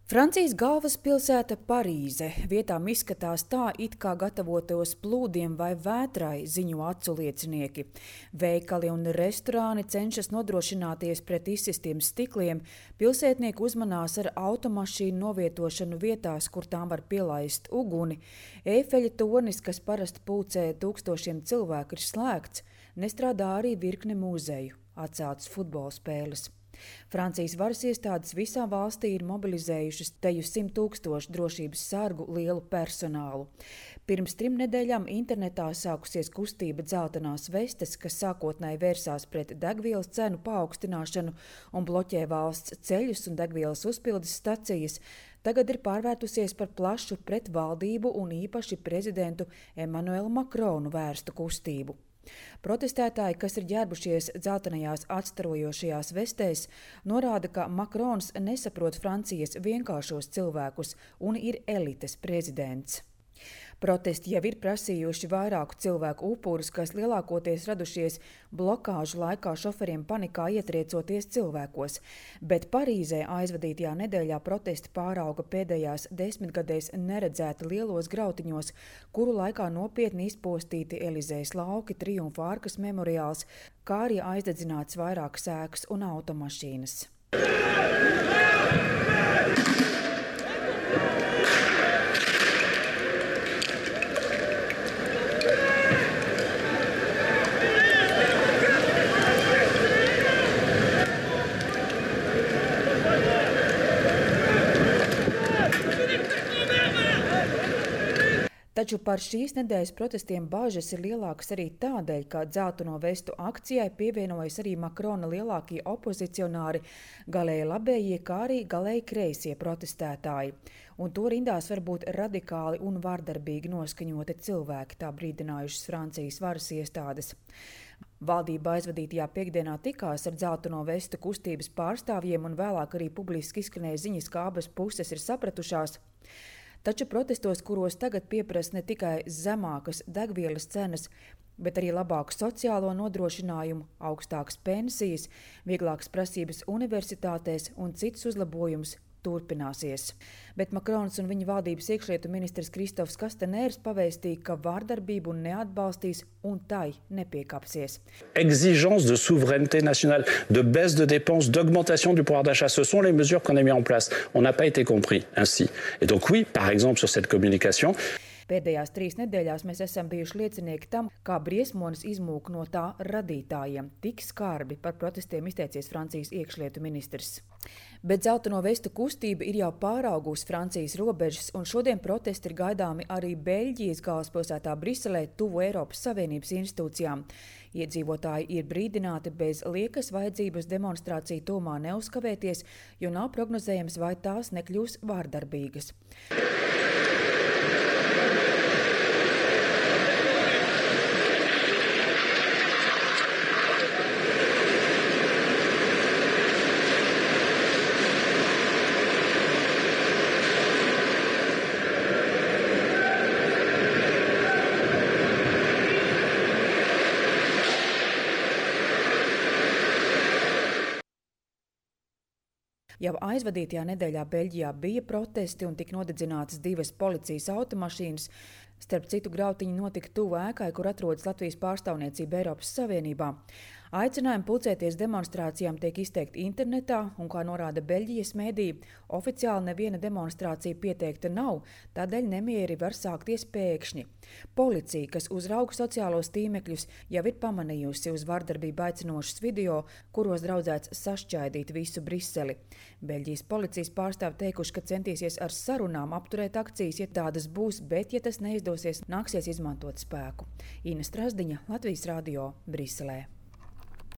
Francijas galvaspilsēta Parīze vietām izskatās tā, it kā gatavotos plūdiem vai vētrai, ziņo acu liecinieki. Veikali un restorāni cenšas nodrošināties pret izsistiem stikliem, pilsētnieki uzmanās ar automašīnu novietošanu vietās, kur tām var pielaist uguni. Eifeļa tornis, kas parasti pulcē tūkstošiem cilvēku, ir slēgts, nestrādā arī virkne muzeju, atceltas futbola spēles. Francijas varas iestādes visā valstī ir mobilizējušas teju 100 000 drošības sargu lielu personālu. Pirms 3 nedēļām internetā sākusies kustība dzeltenās vestes, kas sākotnēji vērsās pret degvielas cenu paaugstināšanu un bloķē valsts ceļus un degvielas uzpildes stacijas. Tagad ir pārvērtusies par plašu pret valdību un īpaši prezidentu Emmanuelu Macronu vērstu kustību. Protestētāji, kas ir ģērbušies dzeltenajās atstarojošajās vestēs, norāda, ka Macrons nesaprot Francijas vienkāršos cilvēkus un ir elites prezidents. Protesti jau ir prasījuši vairāku cilvēku upurus, kas lielākoties radušies blokāžu laikā šoferiem panikā ietriecoties cilvēkos, bet Parīzē aizvadītajā nedēļā protesti pārauga pēdējās 10 gadēs neredzēti lielos grautiņos, kuru laikā nopietni izpostīti Elizejas lauki, Triumfa arkas memoriāls, kā arī aizdedzināts vairākas ēkas un automašīnas. Taču par šīs nedēļas protestiem bāžas ir lielākas arī tādēļ, ka dzelteno vestu akcijai pievienojas arī Macrona lielākie opozicionāri, galēji labējie, kā arī galēji kreisie protestētāji. Un to rindās var būt radikāli un vardarbīgi noskaņoti cilvēki, tā brīdinājušas Francijas varas iestādes. Valdība aizvadītajā piekdienā tikās ar dzelteno vestu kustības pārstāvjiem un vēlāk arī publiski izskanēja ziņas, ka abas puses ir sapratušās. Taču protestos, kuros tagad pieprasa ne tikai zemākas degvielas cenas, bet arī labāku sociālo nodrošinājumu, augstākas pensijas, vieglākas prasības universitātēs un citus uzlabojumus, turpināsies. Bet Macrons un viņa valdības iekšlietu ministrs Kristofs Kastanērs pavēstīja, ka vārdarbību neatbalstīs un tai nepiekāpsies. Exigence de souveraineté nationale, de baisse de dépenses, d'augmentation du pouvoir d'achat, ce sont les mesures qu'on a mis en place. On n'a pas été compris ainsi. Et donc oui, par exemple sur cette communication. Pēdējās 3 nedēļās mēs esam bijuši liecinieki tam, kā briesmonis izmūk no tā radītājiem. Tik skarbi par protestiem izteicies Francijas iekšlietu ministrs. Bet dzelteno vestu kustība ir jau pāraugusi Francijas robežas, un šodien protesti ir gaidāmi arī Beļģijas galvaspilsētā Briselē, tuvu Eiropas Savienības institūcijām. Iedzīvotāji ir brīdināti bez liekas vajadzības demonstrāciju tūmā neuzkavēties, jo nav prognozējams, vai tās nekļūs vārdarbīgas. Jau aizvadītajā nedēļā Beļģijā bija protesti un tika nodedzinātas 2 policijas automašīnas. Starp citu, grautiņi notika tuvu ēkai, kur atrodas Latvijas pārstāvniecība Eiropas Savienībā. Aicinājumi pulcēties demonstrācijām tiek izteikti internetā, un, kā norāda Beļģijas mediji, oficiāli neviena demonstrācija pieteikta nav, tādēļ nemieri var sākties pēkšņi. Policija, kas uzrauga sociālos tīmekļus, jau ir pamanījusi uz vardarbību aicinošus video, kuros draudzēts sašķaidīt visu Briseli. Beļģijas policijas pārstāvi teikuši, ka centīsies ar sarunām apturēt akcijas, ja tādas būs, bet, ja tas neizdosies, nāksies izmantot spēku. Ina Strasdiņa, Latvijas radio, Briselē.